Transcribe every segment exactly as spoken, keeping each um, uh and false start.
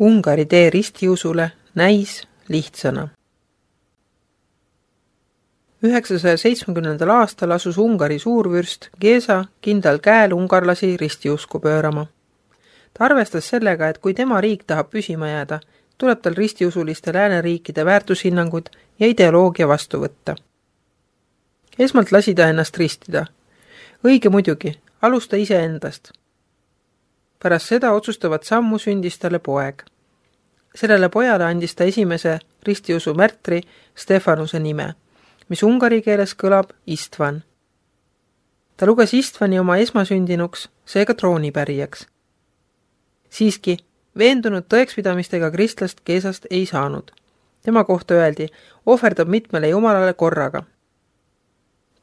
Ungari tee ristiusule näis lihtsana. üheksasaja seitsmekümnendal aastal asus Ungari suurvürst Géza kindlal käel ungarlasi ristiusku pöörama. Ta arvestas sellega, et kui tema riik tahab püsima jääda, tuleb tal ristiusuliste lääneriikide väärtushinnangud ja ideoloogia vastu võtta. Esmalt lasi ta ennast ristida. Õige muidugi, alusta ise endast. Pärast seda otsustavat sammu sündis talle poeg. Sellele pojale andis ta esimese ristiusu märtri Stefanuse nime, mis ungari keeles kõlab Istvan. Ta luges Istvani oma esmasündinuks, seega troonipärijaks. Siiski, veendunud tõekspidamistega kristlast Gézast ei saanud. Tema kohta öeldi, ohverdab mitmele jumalale korraga.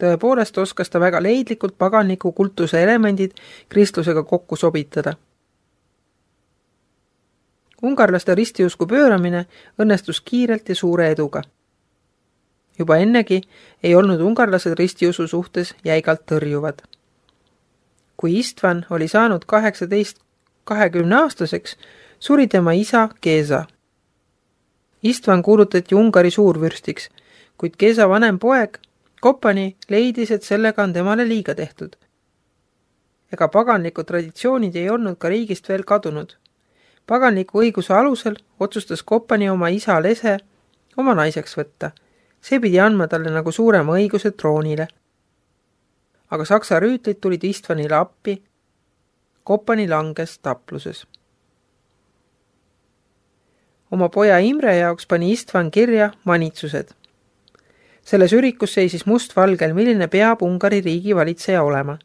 Tõepoolest oskas ta väga leidlikult paganliku kultuse elemendid kristlusega kokku sobitada. Ungarlaste ristiusku pööramine õnnestus kiirelt ja suure eduga. Juba ennegi ei olnud ungarlased ristiusu suhtes jäigalt tõrjuvad. Kui Istvan oli saanud kaheksateist kahekümne aastaseks, suri tema isa Géza. Istvan kuulutati Ungari suurvürstiks, kuid Géza vanem poeg Kopani leidis, et sellega on temale liiga tehtud. Ega paganlikud traditsioonid ei olnud ka riigist veel kadunud. Paganliku õiguse alusel otsustas Kopani oma isa Lese oma naiseks võtta. See pidi andma talle nagu suurema õiguse troonile. Aga saksa rüütlid tulid Istvanile appi. Kopani langes tapluses. Oma poja Imre jaoks pani Istvan kirja manitsused. Selles ürikus seisis mustvalgel, milline peab Ungari riigi valitseja olema.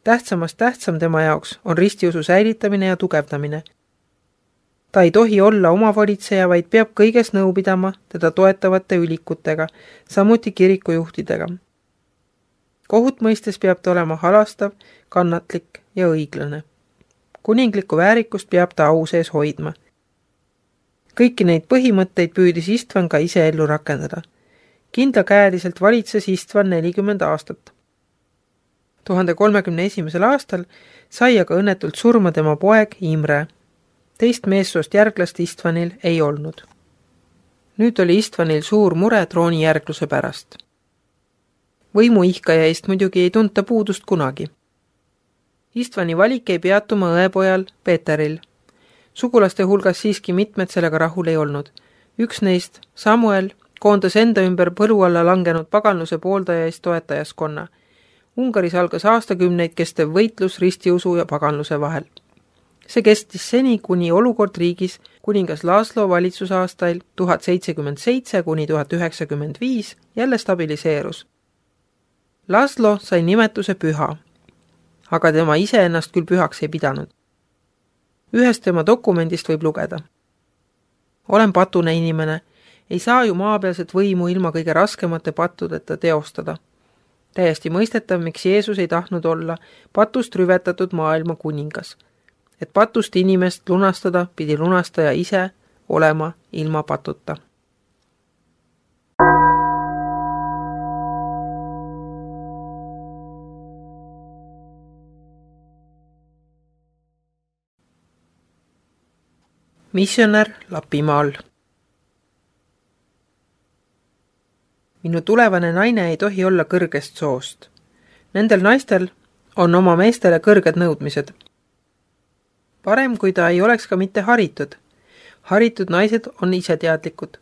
Tähtsamast tähtsam tema jaoks on ristiusu säilitamine ja tugevdamine. Ta ei tohi olla oma valitseja, vaid peab kõiges nõu pidama teda toetavate ülikutega, samuti kirikujuhtidega. Kohut mõistes peab ta olema halastav, kannatlik ja õiglane. Kuninglikku väärikust peab ta au sees hoidma. Kõiki neid põhimõtteid püüdis Istvan ka ise ellu rakendada. Kindlakäeliselt valitses Istvan nelikümmend aastat. tuhande kolmekümne esimesel aastal sai aga õnnetult surma tema poeg Imre. Teist meessoost järglast Istvanil ei olnud. Nüüd oli Istvanil suur mure troonijärgluse pärast. Võimu ihkaja eest muidugi ei tunta puudust kunagi. Istvani valik ei peatuma õepojal Peeteril. Sugulaste hulgas siiski mitmed sellega rahul ei olnud. Üks neist, Samuel, koondas enda ümber põlu alla langenud paganluse pooldajaist toetajaskonna. Ungaris algas aastakümneid kestev võitlus ristiusu ja paganluse vahel. See kestis seni, kuni olukord riigis kuningas Laslo valitsusaastail tuhat seitsekümmend seitse kuni tuhat üheksakümmend viis jälle stabiliseerus. Laslo sai nimetuse püha, aga tema ise ennast küll pühaks ei pidanud. Ühest tema dokumendist võib lugeda. Olen patune inimene, ei saa ju maapealset võimu ilma kõige raskemate pattudeta teostada. Täiesti mõistetav, miks Jeesus ei tahtnud olla patust rüvetatud maailma kuningas. Et patust inimest lunastada, pidi lunastaja ise olema ilma patuta. Missionär Lapimaal. Minu tulevane naine ei tohi olla kõrgest soost. Nendel naistel on oma meestele kõrged nõudmised. Parem, kui ta ei oleks ka mitte haritud. Haritud naised on iseteadlikud.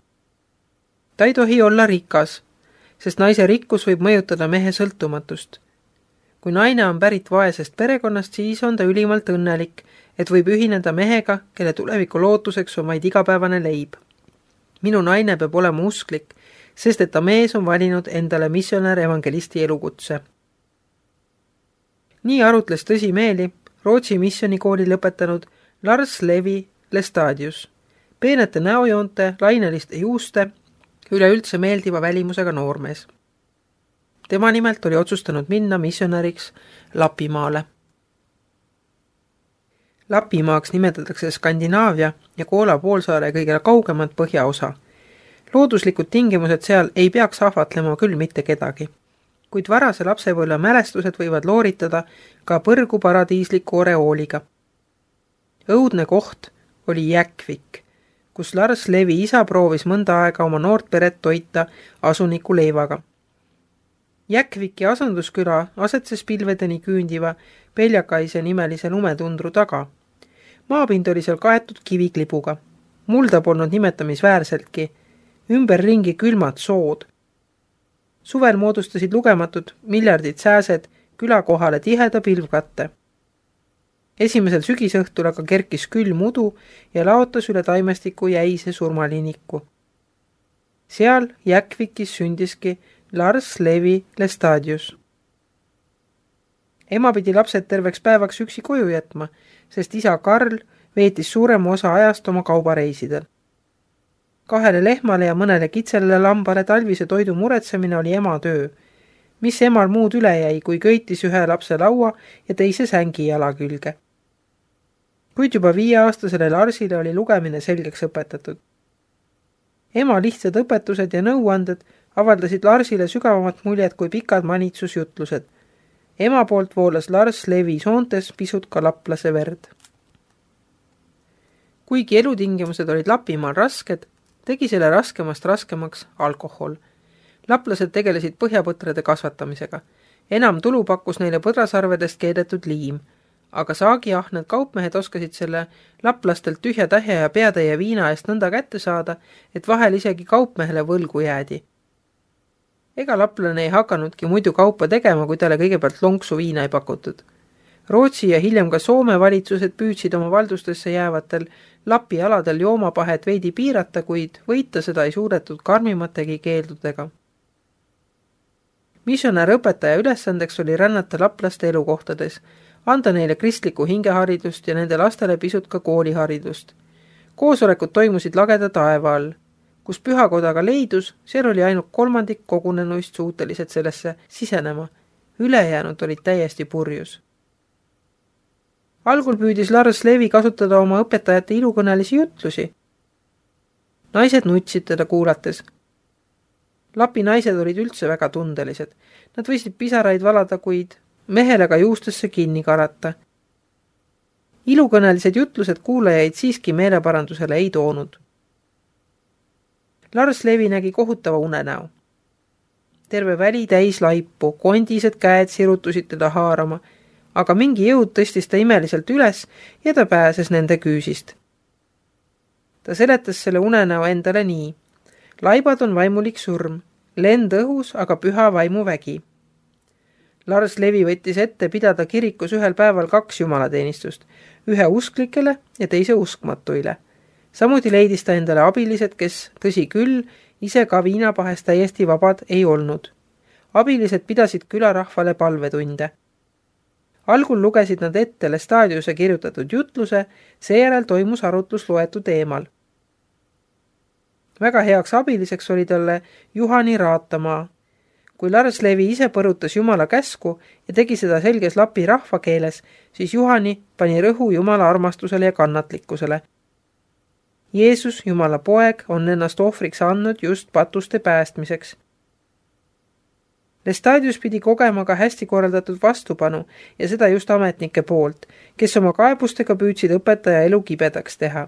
Ta ei tohi olla rikas, sest naise rikkus võib mõjutada mehe sõltumatust. Kui naine on pärit vaesest perekonnast, siis on ta ülimalt õnnelik, et võib ühineda mehega, kelle tuleviku lootuseks on vaid igapäevane leib. Minu naine peab olema usklik, sest et ta mees on valinud endale missionär evangelisti elukutse. Nii arutles tõsimeeli Rootsi missionikooli lõpetanud Lars Levi Lestadius, peenete näojoonte, laineliste juuste, üleüldse meeldiva välimusega noormees. Tema nimelt oli otsustanud minna missionäriks Lapimaale. Lapimaaks nimetatakse Skandinaavia ja Koola poolsaare kõige kaugemat põhjaosa. Looduslikud tingimused seal ei peaks ahvatlema küll mitte kedagi, kuid varase lapsepõlve mälestused võivad looritada ka põrgu paradiisliku oreooliga. Õudne koht, oli Jäkvik, kus Lars Levi isa proovis mõnda aega oma noort peret toita asuniku leivaga. Jäkviki asundusküla asetses pilvedeni küündiva Peljakaise nimelise lumetundru taga. Maapind oli seal kaetud kiviklibuga. Mulda polnud nimetamisväärseltki, ümberringi külmad sood. Suvel moodustasid lugematud miljardid sääsed küla kohale tiheda pilvkatte. Esimesel sügisõhtul aga kerkis külm udu ja laotas üle taimestiku jäise surmaliiniku. Seal Jäkvikis sündiski Lars Levi Lestadius. Ema pidi lapsed terveks päevaks üksi koju jätma, sest isa Karl veetis suurema osa ajast oma kaubareisidel. Kahele lehmale ja mõnele kitsele lambale talvise toidu muretsemine oli ema töö, mis emal muud üle jäi, kui köitis ühe lapse laua ja teise sängi jala külge. Kuid juba viieaastasele Larsile oli lugemine selgeks õpetatud. Ema lihtsad õpetused ja nõuanded avaldasid Larsile sügavamat muljet kui pikad manitsusjutlused. Ema poolt voolas Lars Levi soontes pisut ka laplase verd. Kuigi elutingimused olid Lapimaal rasked, tegi selle raskemast raskemaks alkohol. Laplased tegelesid põhjapõtrade kasvatamisega. Enam tulu pakkus neile põdrasarvedest keedetud liim, aga saagiahned kaupmehed oskasid selle laplastelt tühja tähja ja peatäie viina eest nõnda kätte saada, et vahel isegi kaupmehele võlgu jäädi. Ega laplane ei hakanudki muidu kaupa tegema, kui talle kõigepealt lonksu viina ei pakutud. Rootsi ja hiljem ka Soome valitsused püüdsid oma valdustesse jäävatel Lapi aladel joomapahet veidi piirata, kuid võita seda ei suudetud karmimategi keeldudega. Missionär õpetaja ülesandeks oli rännata laplaste elukohtades, anda neile kristlikku hingeharidust ja nende lastele pisut ka kooliharidust. Koosolekud toimusid lageda taeva all. Kus pühakodaga leidus, seal oli ainult kolmandik kogunenuist suutelised sellesse sisenema. Ülejäänud olid täiesti purjus. Algul püüdis Lars Levi kasutada oma õpetajate ilukõnelisi jutlusi. Naised nutsid teda kuulates. Lapi naised olid üldse väga tundelised. Nad võisid pisaraid valada, kuid mehele ka juustesse kinni karata. Ilukõnelised jutlused kuulajaid siiski meeleparandusele ei toonud. Lars Levi nägi kohutava unenäo. Terve väli täis laipu, kondised käed sirutusid teda haarama, aga mingi jõud tõstis ta imeliselt üles ja ta pääses nende küüsist. Ta seletas selle unenäo endale nii. Laibad on vaimulik surm, lend õhus, aga püha vaimu vägi. Lars Levi võttis ette pidada kirikus ühel päeval kaks jumalateenistust, ühe usklikele ja teise uskmatuile. Samuti leidis ta endale abilised, kes, tõsi küll, ise ka viinapahest täiesti vabad ei olnud. Abilised pidasid külarahvale palvetunde. Algul lugesid nad ette Lestadiuse kirjutatud jutluse, seejärel toimus arutlus loetu teemal. Väga heaks abiliseks oli talle Juhani Raatamaa. Kui Lars Levi ise põrutas Jumala käsku ja tegi seda selges Lapi rahvakeeles, siis Juhani pani rõhu Jumala armastusele ja kannatlikkusele. Jeesus, Jumala poeg, on ennast ohvriks andnud just patuste päästmiseks. Lestadius pidi kogema ka hästi korraldatud vastupanu ja seda just ametnike poolt, kes oma kaebustega püüdsid õpetaja elu kibedaks teha.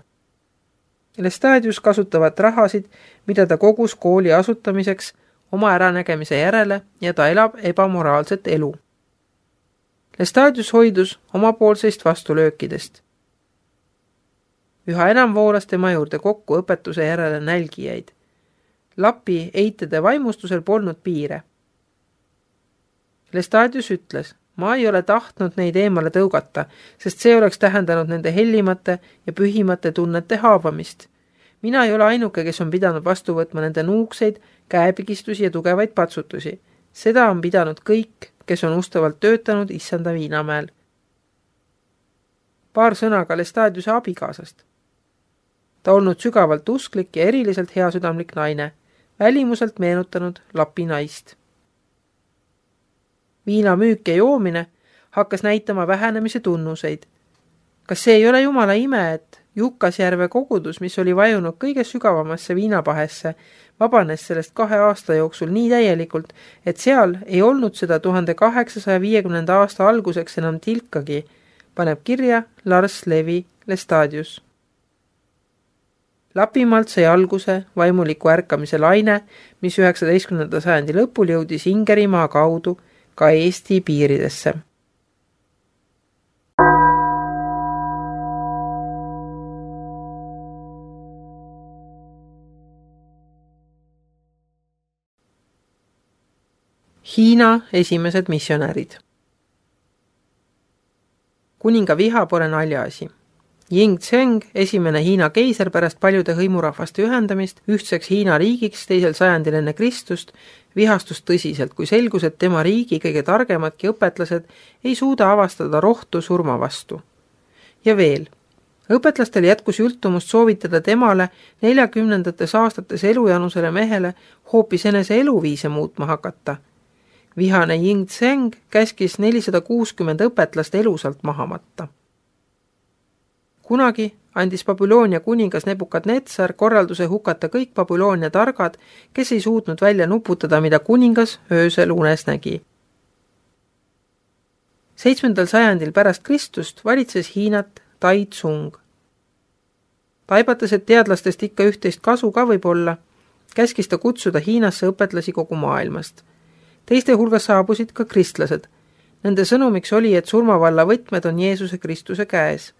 Lestadius kasutavat rahasid, mida ta kogus kooli asutamiseks oma äranägemise järele ja ta elab ebamoraalset elu. Lestadius hoidus omapoolseist vastulöökidest. Üha enam voolas tema juurde kokku õpetuse järele nälgijaid. Lapi eitede vaimustusel polnud piire. Lestadius ütles, ma ei ole tahtnud neid eemale tõugata, sest see oleks tähendanud nende hellimate ja pühimate tunnete haavamist. Mina ei ole ainuke, kes on pidanud vastu võtma nende nuukseid, käepigistusi ja tugevaid patsutusi. Seda on pidanud kõik, kes on ustavalt töötanud issanda Viinamäel. Paar sõna ka Lestadiuse abikaasast. Ta olnud sügavalt usklik ja eriliselt heasüdamlik naine, välimuselt meenutanud Lapi naist. Viina müük ja joomine hakkas näitama vähenemise tunnuseid. Kas see ei ole Jumala ime, et Jukkasjärve kogudus, mis oli vajunud kõige sügavamasse viinapahesse, vabanes sellest kahe aasta jooksul nii täielikult, et seal ei olnud seda tuhande kaheksasaja viiekümnenda aasta alguseks enam tilkagi, paneb kirja Lars Levi Lestadius. Lapimaalt sai alguse vaimuliku ärkamise laine, mis üheksateistkümnenda sajandi lõpul jõudis Ingerimaa kaudu ka Eesti piiridesse. Hiina esimesed missionärid. Kuninga viha pole naljaasi. Ying Tseng, esimene Hiina keiser pärast paljude hõimurahvaste ühendamist ühtseks Hiina riigiks teisel sajandil enne Kristust, vihastus tõsiselt, kui selgus, et tema riigi kõige targemadki õpetlased ei suuda avastada rohtu surma vastu. Ja veel, õpetlastel jätkus jultumust soovitada temale neljakümnendates aastates elujanusele mehele hoopis enese eluviise muutma hakata. Vihane Ying Tseng käskis nelisada kuuskümmend õpetlast elusalt maha matta. Kunagi andis Babyloonia kuningas Nebukadnetsar korralduse hukata kõik Babyloonia targad, kes ei suutnud välja nuputada, mida kuningas öösel unes nägi. Seitsmendal sajandil pärast Kristust valitses Hiinat Tai Tsung. Taibates, et teadlastest ikka üht-teist kasu ka võib olla, käskis ta kutsuda Hiinasse õpetlasi kogu maailmast. Teiste hulgas saabusid ka kristlased. Nende sõnumiks oli, et surmavalla võtmed on Jeesuse Kristuse käes.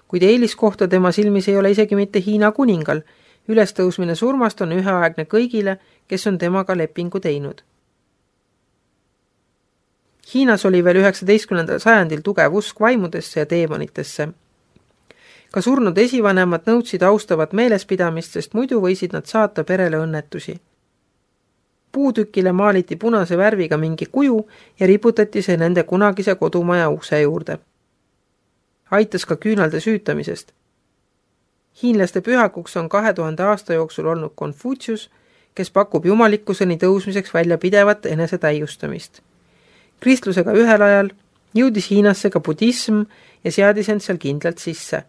Kuid eeliskohta tema silmis ei ole isegi mitte Hiina kuningal. Ülestõusmine surmast on üheaegne kõigile, kes on temaga lepingu teinud. Hiinas oli veel üheksateistkümnendal sajandil tugev usk vaimudesse ja teemonitesse. Ka surnud esivanemad nõudsid austavat meelespidamist, sest muidu võisid nad saata perele õnnetusi. Puutükile maaliti punase värviga mingi kuju ja riputati see nende kunagise kodumaja ukse juurde. Aitas ka küünalde süütamisest. Hiinlaste pühakuks on kahe tuhande aasta jooksul olnud Konfutsius, kes pakub jumalikkuseni tõusmiseks välja pidevat enese täiustamist. Kristlusega ühel ajal jõudis Hiinasse ka budism ja seadis end seal kindlalt sisse.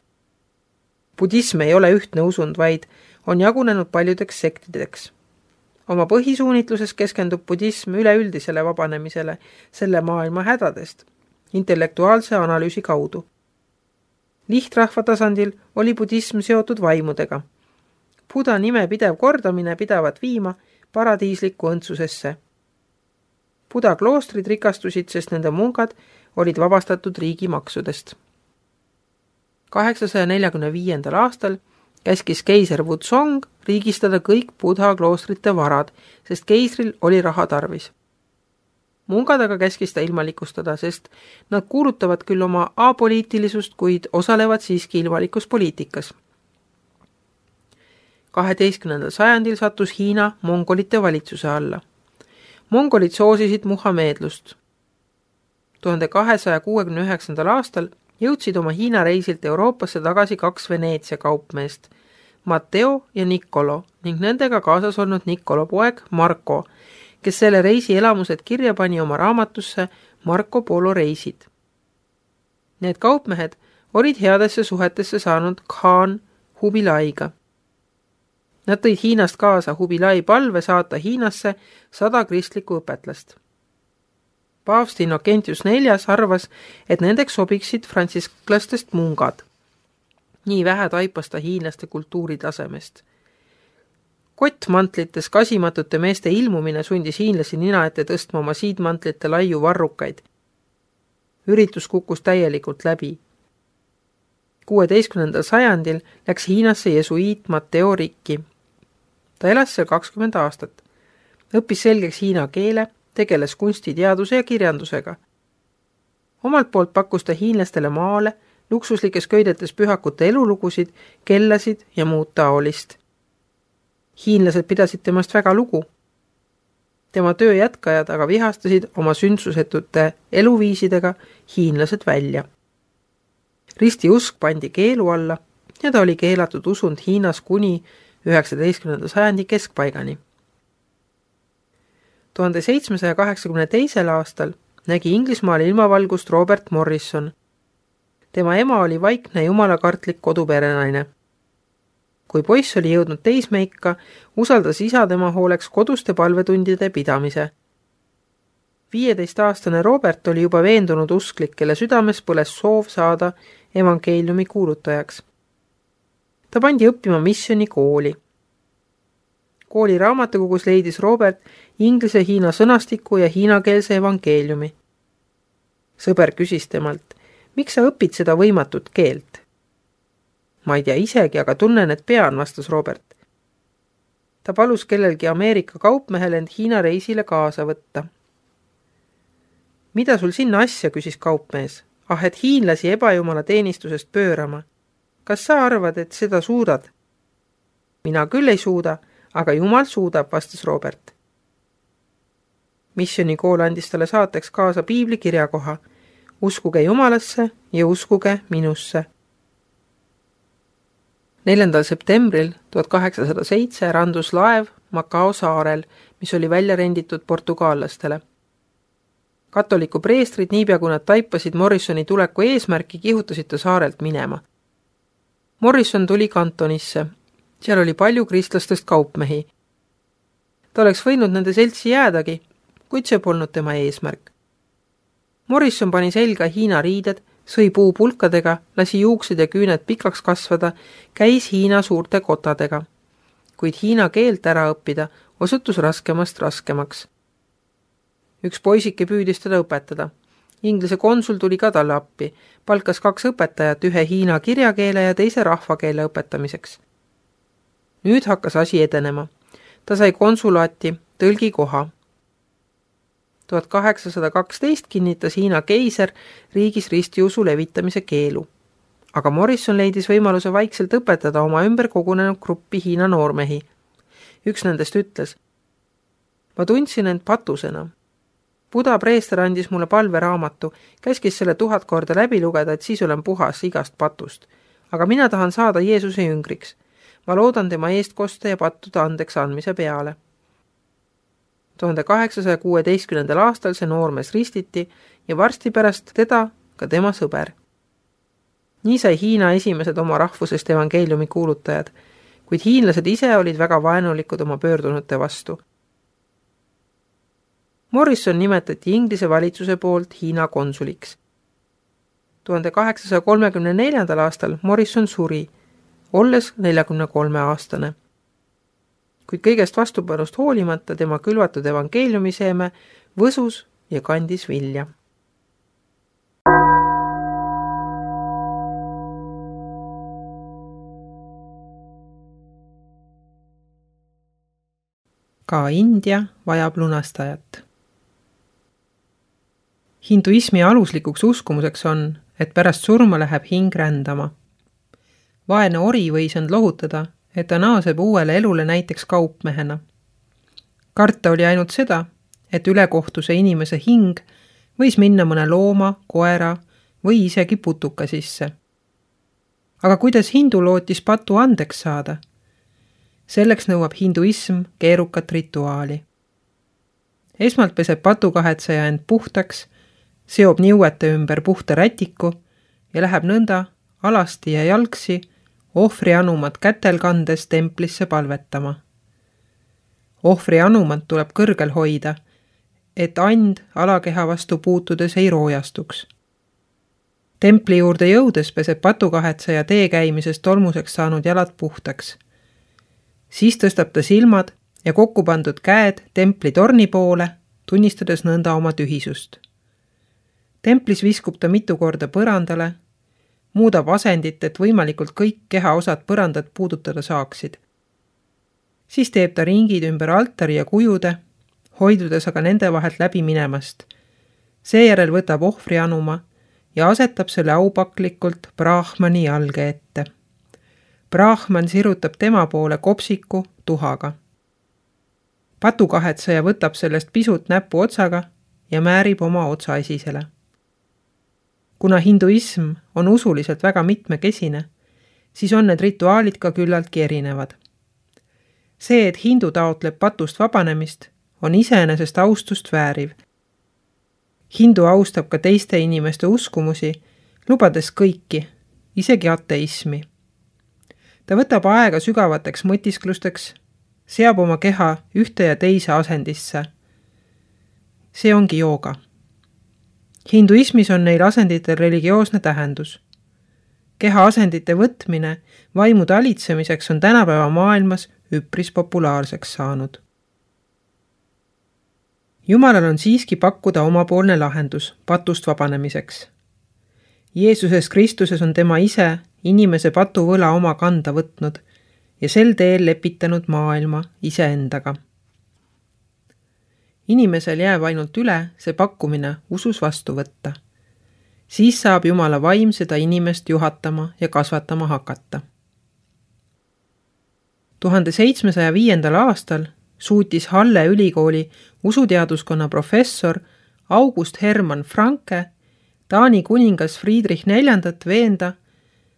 Budism ei ole ühtne usund, vaid on jagunenud paljudeks sektideks. Oma põhisuunitluses keskendub budism üleüldisele vabanemisele selle maailma hädadest, intellektuaalse analüüsi kaudu. Lihtrahva tasandil oli budism seotud vaimudega. Buda nime pidev kordamine pidavat viima paradiislikku õndsusesse. Buda kloostrid rikastusid, sest nende mungad olid vabastatud riigimaksudest. kaheksasaja neljakümne viiendal aastal käskis keiser Wuzong riigistada kõik Budha kloostrite varad, sest keisril oli raha tarvis. Mungad aga käskis ta ilmalikustada, sest nad kuulutavad küll oma apoliitilisust, kuid osalevad siiski ilmalikus poliitikas. kaheteistkümnendal sajandil sattus Hiina mongolite valitsuse alla. Mongolid soosisid muhameedlust. tuhande kahesaja kuuekümne üheksandal aastal jõudsid oma Hiina reisilt Euroopasse tagasi kaks Veneetsia kaupmeest, Matteo ja Niccolo, ning nendega kaasas olnud Niccolo poeg Marco, kes selle reisi elamused kirja pani oma raamatusse Marco Polo reisid. Need kaupmehed olid headesse suhetesse saanud Khan Hubilaiga. Nad tõid Hiinast kaasa Hubilai palve saata Hiinasse sada kristlikku õpetlast. Paavst Innocentius neljas arvas, et nendeks sobiksid frantsisklastest mungad. Nii vähe taipas ta hiinlaste kultuuritasemest. Kottmantlites kasimatute meeste ilmumine sundis hiinlasi nina ette tõstma oma siidmantlite laiu varrukaid. Üritus kukkus täielikult läbi. kuueteistkümnendal sajandil läks Hiinasse jesuiit Matteo Ricci. Ta elas seal kakskümmend aastat. Õppis selgeks hiina keele, tegeles kunstiteaduse ja kirjandusega. Omalt poolt pakkus ta hiinlastele maale, luksuslikes köidetes pühakute elulugusid, kellasid ja muud taolist. Hiinlased pidasid temast väga lugu. Tema töö jätkajad aga vihastasid oma sündsusetute eluviisidega hiinlased välja. Risti usk pandi keelu alla ja ta oli keelatud usund Hiinas kuni üheksateistkümnenda sajandi keskpaigani. tuhande seitsmesaja kaheksakümne teisel aastal nägi Inglismaal ilmavalgust Robert Morrison. Tema ema oli vaikne jumalakartlik koduperenaine. Kui poiss oli jõudnud teismeikka, usaldas isa tema hooleks koduste palvetundide pidamise. viieteistaastane Robert oli juba veendunud usklik, kelle südames põles soov saada evangeeliumi kuulutajaks. ta pandi õppima missiooni kooli. Kooli raamatukogus leidis Robert inglise-hiina sõnastiku ja hiinakeelse evangeeliumi. Sõber küsis temalt, miks sa õpid seda võimatut keelt? Ma ei tea isegi, aga tunnen, et pean, vastas Robert. Ta palus kellelgi Ameerika kaupmehel end Hiina reisile kaasa võtta. Mida sul sinna asja, küsis kaupmees. Ah, et hiinlasi ebajumala teenistusest pöörama. Kas sa arvad, et seda suudad? Mina küll ei suuda, aga Jumal suudab, vastas Robert. Missiooni kool andis talle saateks kaasa piibli kirjakoha. Uskuge Jumalasse ja uskuge minusse. neljandal septembril tuhat kaheksasada seitse randus laev Macao saarel, mis oli välja renditud portugaallastele. Katoliku preestrid, niipea kui nad taipasid Morrisoni tuleku eesmärki, kihutasid ta saarelt minema. Morrison tuli kantonisse. Seal oli palju kristlastest kaupmehi. Ta oleks võinud nende seltsi jäädagi, kuid see polnud tema eesmärk. Morrison pani selga Hiina riided, sõi puupulkadega, lasi juuksed ja küüned pikaks kasvada, käis Hiina suurte kotadega. Kuid Hiina keelt ära õppida osutus raskemast raskemaks. Üks poisike püüdis teda õpetada. Inglise konsul tuli ka talle appi, palkas kaks õpetajat ühe Hiina kirjakeele ja teise rahvakeele õpetamiseks. Nüüd hakkas asi edenema. Ta sai konsulaati tõlgi koha. tuhat kaheksasada kaksteist kinnitas Hiina keiser riigis ristiusu levitamise keelu. Aga Morrison leidis võimaluse vaikselt õpetada oma ümber kogunenud gruppi Hiina noormehi. Üks nendest ütles, ma tundsin end patusena. Buda preester andis mulle palveraamatu, käskis selle tuhat korda läbi lugeda, et siis olen puhas igast patust. Aga mina tahan saada Jeesuse jüngriks. Ma loodan tema eest kosta ja pattude andeks andmise peale. tuhande kaheksasaja kuueteistkümnendal aastal see noormees ristiti ja varsti pärast teda ka tema sõber. Nii sai Hiina esimesed oma rahvusest evangeeliumi kuulutajad, kuid hiinlased ise olid väga vaenulikud oma pöördunute vastu. Morrison nimetati Inglise valitsuse poolt Hiina konsuliks. tuhande kaheksasaja kolmekümne neljandal aastal Morrison suri, olles neljakümne kolme aastane. Kuid kõigest vastupanust hoolimata tema külvatud evangeeliumiseeme võsus ja kandis vilja. Ka India vajab lunastajat. Hinduismi aluslikuks uskumuseks on, et pärast surma läheb hing rändama. Vaene ori võis end lohutada, et ta naaseb uuele elule näiteks kaupmehena. Karta oli ainult seda, et ülekohtuse inimese hing võis minna mõne looma, koera või isegi putuka sisse. Aga kuidas hindu lootis patu andeks saada? Selleks nõuab hinduism keerukat rituaali. Esmalt peseb patukahetseja end puhtaks, seob niuete ümber puhta rätiku ja läheb nõnda alasti ja jalgsi ohvri anumat kätel kandes templisse palvetama. Ohvri anumat tuleb kõrgel hoida, et and alakeha vastu puutudes ei roojastuks. Templi juurde jõudes peseb patukahetseja tee käimisest tolmuseks saanud jalad puhtaks. Siis tõstab ta silmad ja kokku pandud käed templi torni poole, tunnistades nõnda oma tühisust. Templis viskub ta mitu korda põrandale, muudab asendit, et võimalikult kõik kehaosad põrandat puudutada saaksid. Siis teeb ta ringid ümber altari ja kujude, hoidudes aga nende vahelt läbi minemast. Seejärel võtab ohvri anuma ja asetab selle aupaklikult Brahmani jalge ette. Brahman sirutab tema poole kopsiku tuhaga. Patukahetseja võtab sellest pisut näpu otsaga ja määrib oma otsa esisele. Kuna hinduism on usuliselt väga mitmekesine, siis on need rituaalid ka küllaltki erinevad. See, et hindu taotleb patust vabanemist, on iseenesest austust vääriv. Hindu austab ka teiste inimeste uskumusi, lubades kõiki, isegi ateismi. Ta võtab aega sügavateks mõtisklusteks, seab oma keha ühte ja teise asendisse. See ongi jooga. Hinduismis on neil asenditel religioosne tähendus. keha asendite võtmine vaimu talitsemiseks on tänapäeva maailmas üpris populaarseks saanud. Jumalal on siiski pakkuda omapoolne lahendus patust vabanemiseks. Jeesuses Kristuses on tema ise inimese patuvõla oma kanda võtnud ja sel teel lepitanud maailma iseendaga. Inimesel jääb ainult üle see pakkumine usus vastu võtta. Siis saab Jumala vaim seda inimest juhatama ja kasvatama hakata. tuhande seitsmesaja viiendal aastal suutis Halle ülikooli usuteaduskonna professor August Hermann Franke Taani kuningas Friedrich neljandat veenda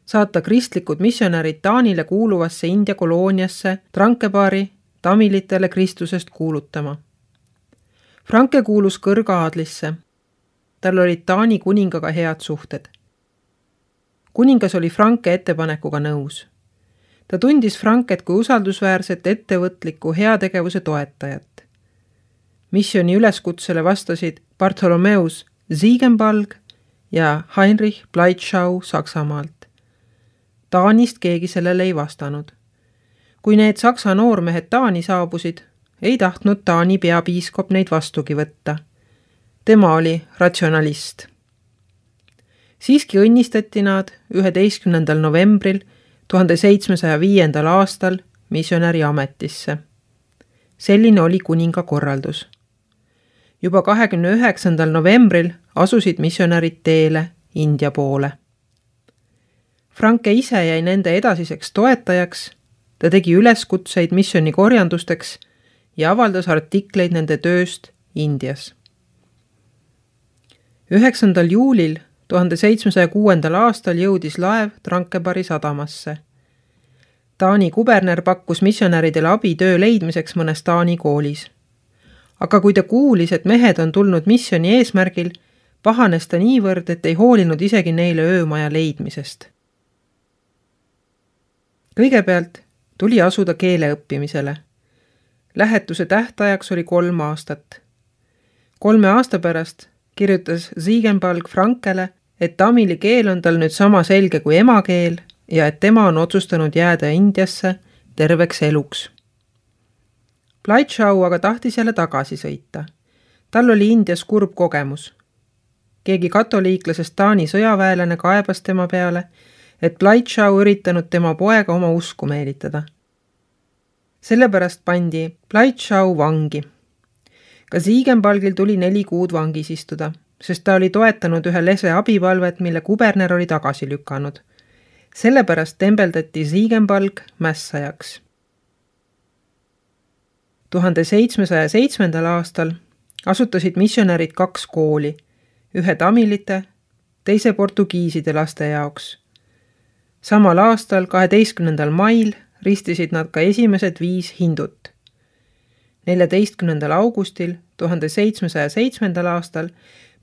saata kristlikud missionärid Taanile kuuluvasse India kolooniasse Trankebaari tamilitele Kristusest kuulutama. Franke kuulus kõrgaadlisse. Tal olid Taani kuningaga head suhted. Kuningas oli Franke ettepanekuga nõus. Ta tundis Franket kui usaldusväärset ettevõtliku heategevuse toetajat. Missioni üleskutsele vastasid Bartholomeus Ziegenbalg ja Heinrich Bleitschau Saksamaalt. Taanist keegi sellele ei vastanud. Kui need saksa noormehed Taani saabusid, ei tahtnud Taani peapiiskop neid vastugi võtta. Tema oli ratsionalist. Siiski õnnistati nad üheteistkümnendal novembril tuhande seitsmesaja viiendal aastal missionäri ametisse. Selline oli kuninga korraldus. Juba kahekümne üheksandal novembril asusid missionärid teele India poole. Franke ise jäi nende edasiseks toetajaks, ta tegi üleskutseid missioni korjandusteks ja avaldas artikleid nende tööst Indias. üheksandal juulil tuhande seitsmesaja kuuendal aastal jõudis laev Trankebaari sadamasse. Taani kuberner pakkus missionäridele abi töö leidmiseks mõnes Taani koolis. Aga kui ta kuulis, et mehed on tulnud missioni eesmärgil, pahanes ta niivõrd, et ei hoolinud isegi neile öömaja leidmisest. Kõigepealt tuli asuda keele õppimisele. Lähetuse tähtajaks oli kolm aastat. Kolme aasta pärast kirjutas Ziegenbalg Frankele, et tamili keel on tal nüüd sama selge kui emakeel ja et tema on otsustanud jääda Indiasse terveks eluks. Bleitschau aga tahtis jälle tagasi sõita. Tal oli Indias kurb kogemus. Keegi katoliiklasest Taani sõjaväelane kaebas tema peale, et Bleitschau üritanud tema poega oma usku meelitada. Sellepärast pandi Bleitschau vangi. Ka Ziegenbalgil tuli neli kuud vangis istuda, sest ta oli toetanud ühe lese abipalvet, mille kuberner oli tagasi lükanud. Sellepärast tembeldati Ziegenbalg mässajaks. tuhande seitsmesaja seitsmendal aastal asutasid missionärid kaks kooli, ühe tamilite, teise portugiiside laste jaoks. Samal aastal, kaheteistkümnendal mail, ristisid nad ka esimesed viis hindut. neljateistkümnendal augustil tuhande seitsmesaja seitsmendal aastal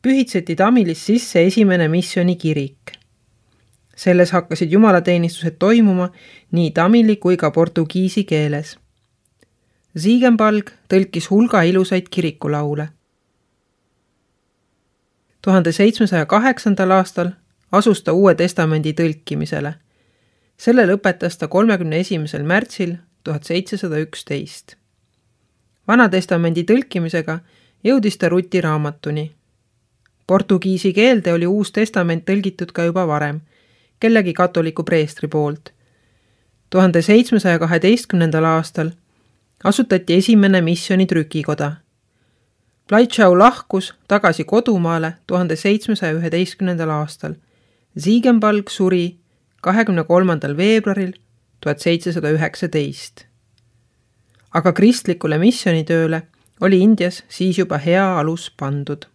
pühitseti Tamilis sisse esimene missioni kirik. Selles hakkasid jumalateenistused toimuma nii tamili kui ka portugiisi keeles. Ziegenbalg tõlkis hulga ilusaid kirikulaule. tuhande seitsmesaja kaheksandal aastal asus ta Uue Testamendi tõlkimisele. Selle lõpetas ta kolmekümne esimesel märtsil tuhat seitsesada üksteist. Vana testamendi tõlkimisega jõudis ta Ruti raamatuni. Portugiisi keelde oli Uus Testament tõlgitud ka juba varem, kellegi katoliku preestri poolt. tuhande seitsmesaja kaheteistkümnendal aastal asutati esimene missioni trükikoda. Bleitschau lahkus tagasi kodumaale tuhande seitsmesaja üheteistkümnendal aastal. Ziegenbalg suri kahekümne kolmandal veebruaril tuhat seitsesada üheksateist. Aga kristlikule missionitööle oli Indias siis juba hea alus pandud.